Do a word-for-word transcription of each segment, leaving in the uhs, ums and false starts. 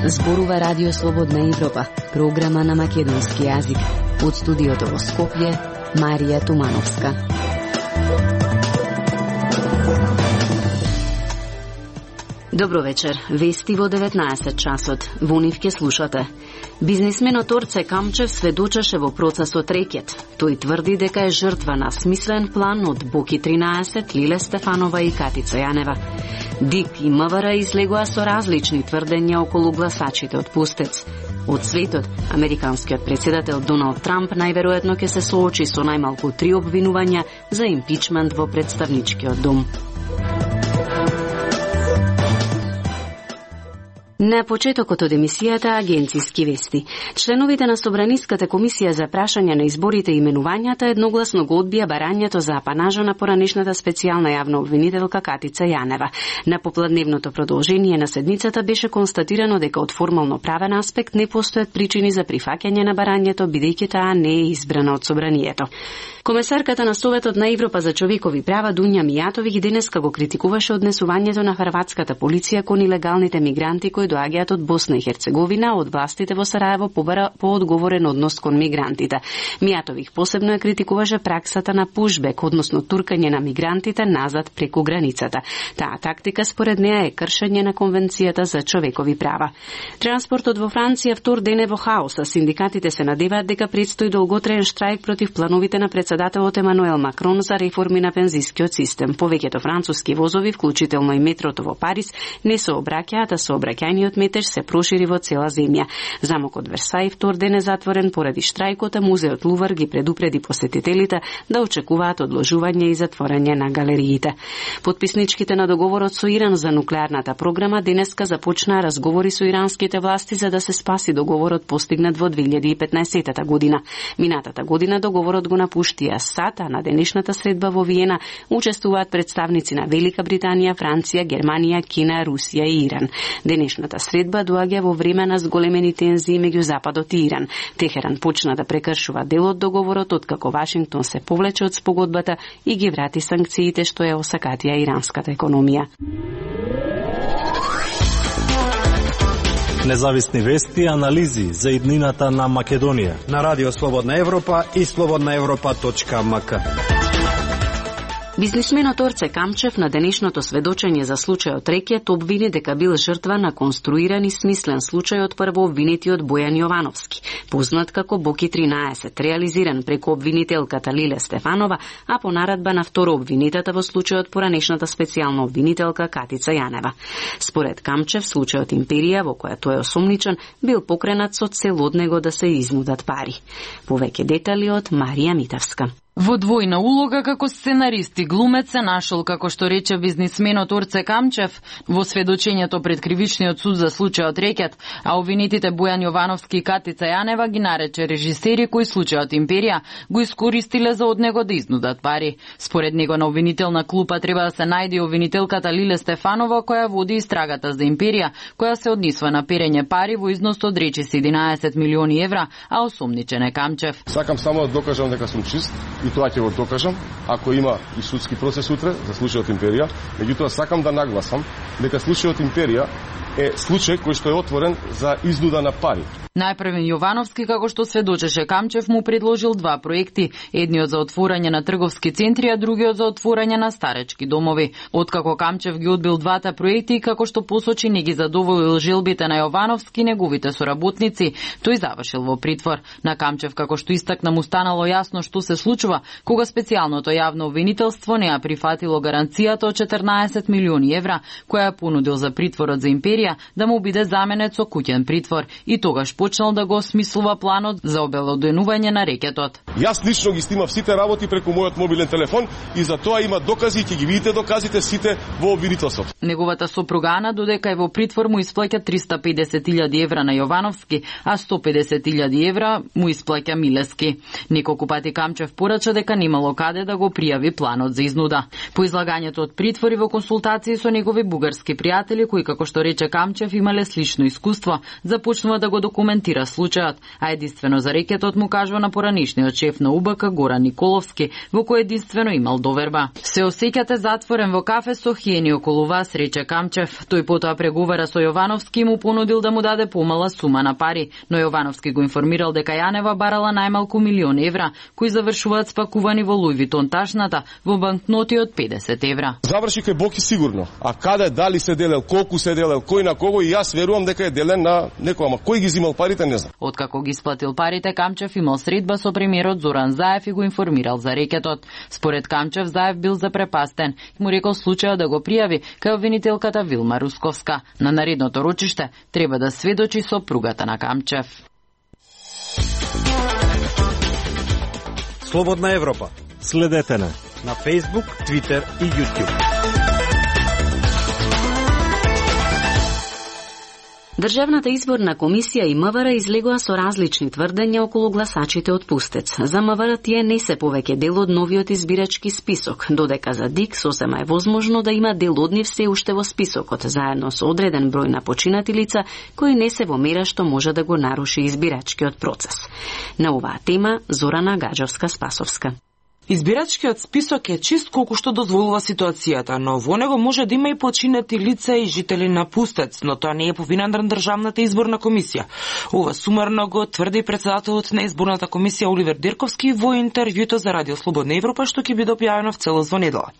Зборува Радио Слободна Европа, програма на македонски јазик. Од студиото во Скопје, Марија Тумановска. Добро вечер. Вести во деветнаесет часот. Во нив ке слушате. Бизнисменот Орце Камчев сведочеше во процесот рекет. Тој тврди дека е жртва на смислен план од Боки тринаесет, Лиле Стефанова и Катица Јанева. ДИК и МВР излегоа со различни тврдења околу гласачите од Пустец. Од светот, американскиот председател Доналд Трамп најверојатно ќе се соочи со најмалку три обвинувања за импичмент во представничкиот дом. На почетокот од емисијата Агенциски вести. Членовите на Собраниската комисија за прашање на изборите и именувањата едногласно го одбија барањето за апанажа на поранешната специјална јавна обвинителка Катица Јанева. На попладневното продолжение на седницата беше констатирано дека од формално правен аспект не постојат причини за прифаќање на барањето, бидејќи таа не е избрана од Собранието. Комесарката на Советот на Европа за човекови права Дуња Мијатовиќ денеска го критикуваше однесувањето на хрватската полиција кон илегалните мигранти кои доаѓаат од Босна и Херцеговина, од властите во Сараево побара поодговорен однос кон мигрантите. Мијатовиќ посебно ја критикуваше праксата на пушбек, односно туркање на мигрантите назад преку границата. Таа тактика според неа е кршење на Конвенцијата за човекови права. Транспортот во Франција втор ден е во хаос, а синдикатите се надеваат дека предстои долготраен штрајк против плановите на председателот Емануел Макрон за реформи на пензискиот систем. Повеќето француски возови, вклучително и метрото во Париз, не се обраќаат, а сообраќајниот метеж се прошири во цела земја. Замокот Версај втор ден е затворен поради штрајкот, а музеот Лувар ги предупреди посетителите да очекуваат одложување и затворање на галериите. Подписничките на договорот со Иран за нуклеарната програма денеска започнаа разговори со иранските власти за да се спаси договорот постигнат во две илјади и петнаесетта година. Минатата година договорот го напушти Асад, а на денешната средба во Виена учествуваат представници на Велика Британија, Франција, Германија, Кина, Русија и Иран. Денешната средба доаѓа во време на зголемени тензии меѓу Западот и Иран. Техеран почна да прекршува дел од договорот откако Вашингтон се повлече од спогодбата и ги врати санкциите што ја осакатија иранската економија. Независни вести и анализи за иднината на Македонија на Радио Слободна Европа и слободна европа точка ем ка. Бизнисменот Орце Камчев на денешното сведочење за случајот рекет обвини дека бил жртва на конструиран и смислен случај од прво обвинетиот Бојан Јовановски, познат како Боки тринаесет, реализиран преку обвинителката Лиле Стефанова, а по наредба на второ обвинетата во случајот поранешната специјална обвинителка Катица Јанева. Според Камчев, случајот Империја, во која тој е осомничен, бил покренат со цел од него да се изнудат пари. Повеќе детали од Марија Митавска. Во двојна улога како сценарист и глумец се нашол, како што рече бизнисменот Орце Камчев во сведочењето пред кривичниот суд за случајот рекет, а обвинетите Бојан Јовановски и Катица Јанева ги нарече режисери кои случајот Империја го искористиле за од него да изнудат пари. Според него на обвинителна клупа треба да се најде обвинителката Лиле Стефанова која води истрагата за Империја, која се однесува на перење пари во износ од речиси единаесет милиони евра, а осомничен е Камчев. Сакам само да докажам дека сум чист. И тоа ќе го докажам, ако има и судски процес утре за случајот Империја. Меѓутоа сакам да нагласам дека случајот Империја е случај кој што е отворен за изнуда на пари. Најпрвен Јовановски, како што сведочеше Камчев, му предложил два проекти, едниот за отворање на трговски центри, а другиот за отворање на старечки домови. Откако Камчев ги одбил двата проекти, како што посочи не ги задоволил желбите на Јовановски и неговите соработници, тој завршил во притвор. На Камчев, како што истакна, му станало јасно што се случува кога специјалното јавно обвинителство не ја прифатило гаранцијата од четрнаесет милиони евра, која ја понудил за притворот за Империја да му биде заменет со куќен притвор и тогаш почнал да го осмислува планот за обелоденување на рекетот. Јас лично ги снимав сите работи преку мојот мобилен телефон и за тоа има докази и ќе ги видите доказите сите во обвинителството. Неговата сопруга Ана додека е во притвор му исплаќа триста педесет илјади евра на Јовановски, а сто педесет илјади евра му исплаќа Милески. Неколку пати Камчев порача дека немало каде да го пријави планот за изнуда. По излагањето од притвори во консултации со негови бугарски пријатели кои, како што рече Камчев, имале слично искуство, започнува да го документира случајот, а единствено за рекетот му кажува на поранишниот шеф на У Б К Горан Николовски, во кој единствено имал доверба. Се осеќате затворен во кафе со хиени околу вас, рече Камчев. Тој потоа преговара со Јовановски и му понудил да му даде помала сума на пари, но Јовановски го информирал дека Јанева барала најмалку милион евра, кои завршуваат спакувани во Луј Витон ташната во банкноти од педесет евра. Заврши кај Боки сигурно. А каде, дали се делел, колку се делел, кој на кого, и јас верувам дека е делен на некој, ама кој ги зимал парите не знам. Откако ги исплатил парите, Камчев имал средба со премиерот Зоран Заев и го информирал за рекетот. Според Камчев, Заев бил запрепастен и му рекол случајот да го пријави кај обвинителката Вилма Русковска. На наредното рочиште треба да сведочи сопругата на Камчев. Слободна Европа. Следете на на Facebook, Twitter и YouTube. Државната изборна комисија и М В Р излегоа со различни тврдења околу гласачите од Пустец. За М В Р тие не се повеќе дел од новиот избирачки список, додека за ДИК сосема е возможно да има дел од нив се уште во списокот, заедно со одреден број на починати лица кои не се во мера што може да го наруши избирачкиот процес. На оваа тема Зорана Гаджовска-Спасовска. Избирачкиот список е чист колку што дозволува ситуацијата, но во него може да има и починати лица и жители на Пустец, но тоа не е по вина на Државната изборна комисија. Ова сумарно го тврди председателот на изборната комисија Оливер Дирковски во интервјуто за Радио Слободна Европа, што ќе биде објавено в целост во недела.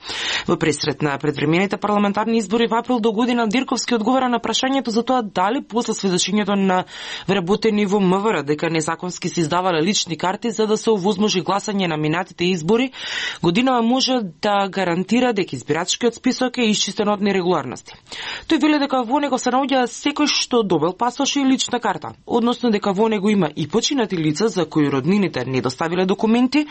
Во пресрет на предвремените парламентарни избори во април до година Дирковски одговара на прашањето за тоа дали после сведочењето на вработени во М В Р дека незаконски се издавале лични карти за да се овозможи гласање на минатите избори, годинава може да гарантира дека избирачкиот список е исчистен од нерегуларности. Тој вели дека во него се наоѓа секој што добил пасош и лична карта, односно дека во него има и починати лица за кои роднините не доставиле документи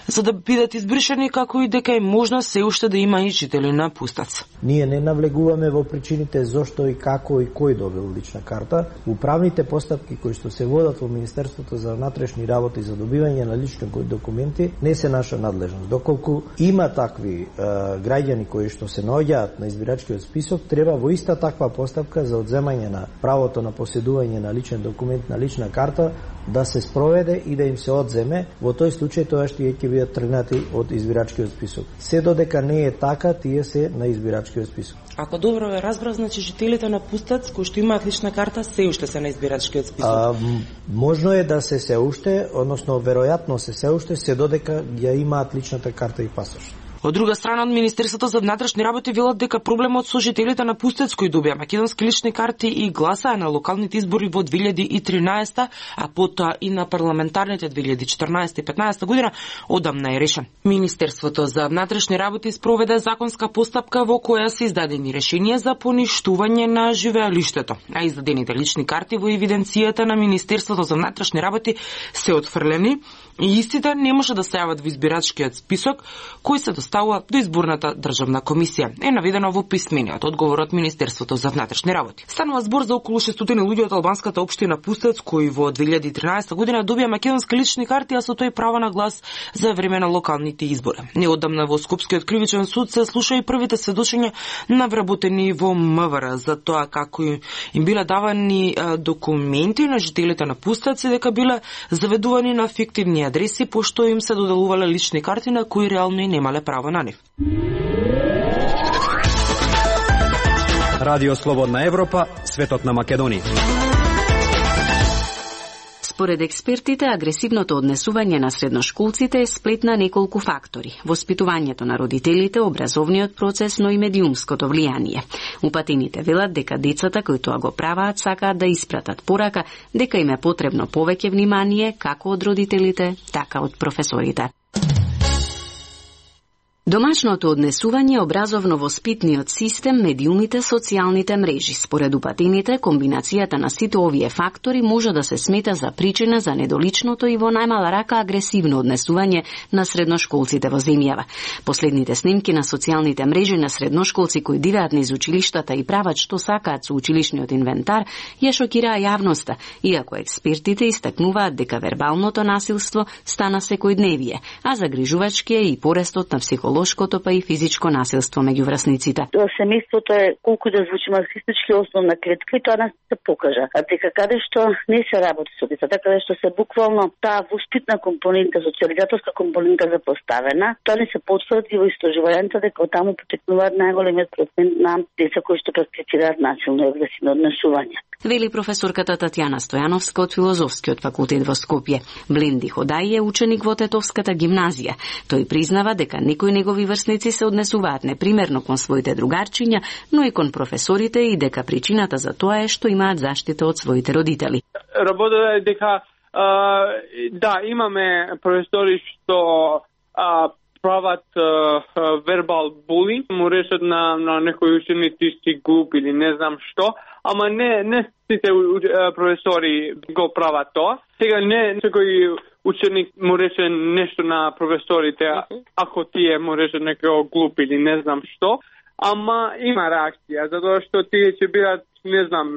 за да бидат избришани, како и дека е можно се уште да има и жители на Пустец. Ние не навлегуваме во причините зошто и како и кој добил лична карта. Управните постапки кои што се водат во Министерството за внатрешни работи за добивање на лични документи не се наша надлежност. Доколку има такви е, граѓани кои што се наоѓаат на избирачкиот список, треба во иста таква постапка за одземање на правото на поседување на личен документ, на лична карта, да се спроведе и да им се одземе. Во тој случај тоа што ќе бидат тргнати од избирачкиот список. Се додека не е така, тие се на избирачкиот список. Ако добро ве разбрав, значи жителите на Пустец кои што имаат лична карта се уште се на избирачкиот список. А, можно е да се се уште, односно веројатно се се уште, се додека ја имаат личната карта и пасош. Од друга страна, од Министерството за внатрешни работи велат дека проблемот со жителите на Пустец кои добија македонски лични карти и гласаа на локалните избори во две илјади и тринаесета, а потоа и на парламентарните две илјади и четрнаесета и петнаесета година, одамна е решен. Министерството за внатрешни работи спроведе законска постапка во која се издадени решенија за поништување на живеалиштето, а издадените лични карти во евиденцијата на Министерството за внатрешни работи се отфрлени и истите не може да се јават во избирачкиот список кој се доставува до изборната државна комисија. Е наведено во писмениот одговор од Министерството за внатрешни работи. Станува збор за околу шестстотини луѓе од албанската општина Пустец кои во две илјади и тринаесета година добија македонски лични карти, а со тој право на глас за време на локалните избори. Неодамна во Скопскиот кривичен суд се слуша и првите сведочења на вработени во М В Р за тоа како им биле давани документи на жителите на Пустец и дека биле заведувани на фиктивни адреси, пошто им се доделувале лични карти на кои реално и немале право на нив. Радио Слободна Европа, светот на Македонија. Според експертите, агресивното однесување на средношколците е сплет на неколку фактори: воспитувањето на родителите, образовниот процес, но и медиумското влијание. Упатените велат дека децата кои тоа го праваат сакаат да испратат порака дека им е потребно повеќе внимание како од родителите, така од професорите. Домашното однесување е образовно-воспитниот систем, медиумите, социјалните мрежи. Според упатените, комбинацијата на сите овие фактори може да се смета за причина за недоличното и во најмала рака агресивно однесување на средношколците во земјава. Последните снимки на социјалните мрежи на средношколци кои дивеат низ училиштата и прават што сакаат со училишниот инвентар ја шокираа јавноста, иако експертите истакнуваат дека вербалното насилство стана секојдневие, а загрижувачки е и порастот на психолошки психолошкото па и физичко насилство меѓу врсниците. Семејството е, колку да звучи марксистички, основна клетка и тоа нас се покажа. А дека каде што не се работи со децата, каде што се буквално таа воспитна компонента, социализаторска компонента запоставена, тоа не се потврди во истражувањата дека таму потекнуваат најголемиот процент на деца кои што практицираат насилно и агресивно однесување. Вели професорката Татјана Стојановска од Филозофскиот факултет во Скопје. Бленди Ходај е ученик во Тетовската гимназија. Тој признава дека некои негови врсници се однесуваат непримерно кон своите другарчиња, но и кон професорите и дека причината за тоа е што имаат заштита од своите родители. Работата е дека а, да, имаме професори што а, прават а, вербал булинг, му решат на, на некои ученици си глуп или не знам што, ама не, не сите професори го прават тоа. Сега не секој ученик му рече нешто на професорите, ако тие му рече некој глуп или не знам што, ама има реакција, затоа што тие ќе бидат, не знам,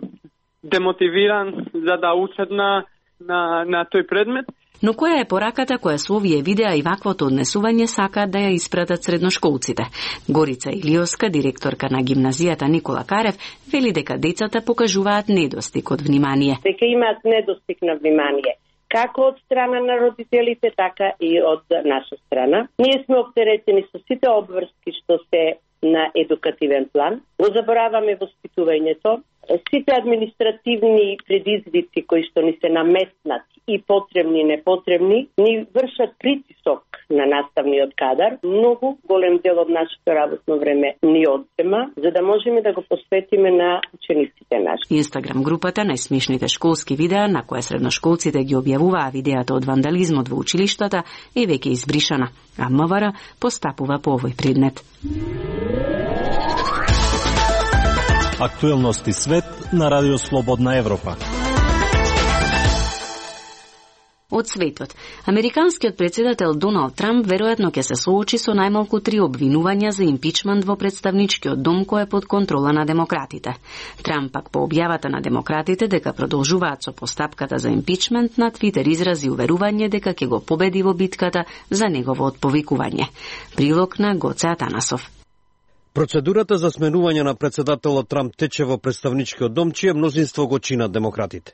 демотивиран за да учат на, на, на тој предмет. Но која е пораката која со овие видеа и ваквото однесување сакаат да ја испратат средношколците? Горица Илиоска, директорка на гимназијата Никола Карев, вели дека децата покажуваат недостиг од внимание. Дека имаат недостиг на внимание, како од страна на родителите, така и од наша страна. Ние сме оптеретени со сите обврски што се на едукативен план. Го забораваме воспитувањето. Сите административни предизвици кои што ни се наметнат и потребни и непотребни, ни вршат притисок на наставниот кадар. Многу голем дел од нашето работно време ни одзема, за да можеме да го посветиме на учениците наши. Инстаграм групата најсмешните школски видеа, на која средношколците ги објавуваа видеата од вандализмот во училиштата, е веќе избришана, а МВР постапува по овој предмет. Актуелности свет на Радио Слободна Европа. Од светот. Американскиот председател Доналд Трамп веројатно ќе се соочи со најмалку три обвинувања за импичмент во представничкиот дом кој е под контрола на демократите. Трамп пак по објавата на демократите дека продолжуваат со постапката за импичмент на Твитер изрази уверување дека ќе го победи во битката за негово отповикување. Прилог на Гоце Атанасов. Процедурата за сменување на председателот Трамп тече во представничкиот дом, чие мнозинство го чинат демократите.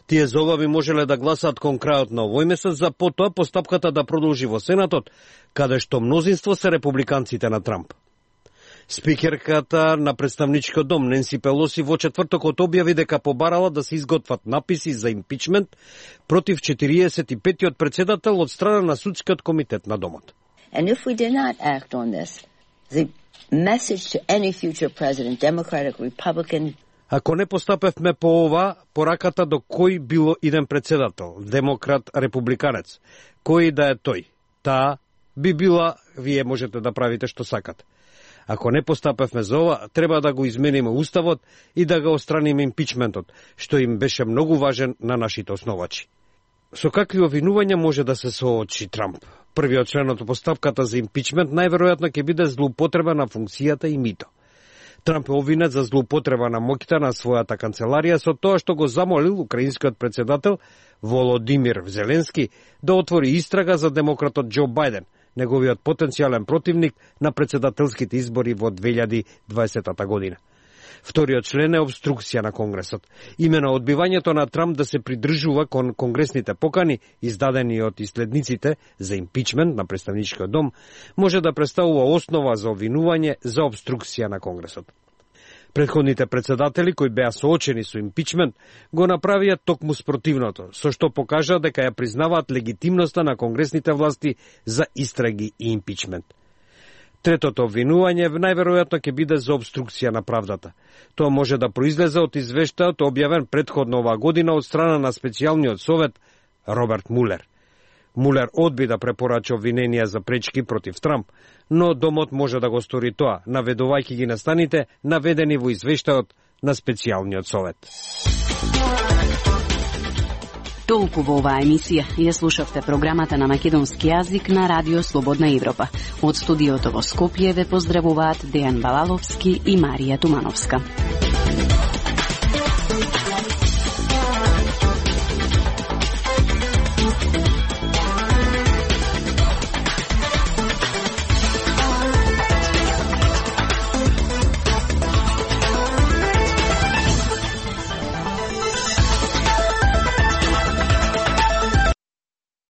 Тие за ова би можеле да гласаат кон крајот на овој месец, за потоа постапката да продолжи во Сенатот, каде што мнозинство се републиканците на Трамп. Спикерката на представничкиот дом Ненси Пелоси во четвртокот објави дека побарала да се изготват написи за импичмент против четириесет и петиот председател од страна на судскиот комитет на домот. And if we did not act on this, the message to any future president, Democratic, Republican. Ако не постапевме по ова, пораката до кој било иден председател, демократ, републиканец, кој да е тој, таа би била, вие можете да правите што сакате. Ако не постапевме за ова, треба да го измениме уставот и да го отстраниме импичментот, што им беше многу важен на нашите основачи. Со какви обвинувања може да се соочи Трамп? Првиот член од постапката за импичмент најверојатно ќе биде злоупотреба на функцијата и мито. Трамп е обвинет за злоупотреба на моќта на својата канцеларија со тоа што го замолил украинскиот председател Володимир Зеленски да отвори истрага за демократот Џо Бајден, неговиот потенцијален противник на председателските избори во две илјади и дваесета година. Вториот член е обструкција на Конгресот. Имено одбивањето на Трамп да се придржува кон конгресните покани, издадени од иследниците за импичмент на представничкиот дом, може да представува основа за обвинување за обструкција на Конгресот. Претходните председатели кои беа соочени со импичмент го направија токму спротивното, со што покажа дека ја признаваат легитимноста на конгресните власти за истраги и импичмент. Третото обвинување најверојатно ќе биде за обструкција на правдата. Тоа може да произлезе од извештајот објавен претходно оваа година од страна на специјалниот совет Роберт Мулер. Мулер одби да препорача обвиненија за пречки против Трамп, но домот може да го стори тоа, наведувајќи ги настаните наведени во извештајот на специјалниот совет. Толку во оваа емисија. Ја слушавте програмата на македонски јазик на Радио Слободна Европа. Од студиото во Скопје ве поздравуваат Дејан Балаловски и Марија Тумановска.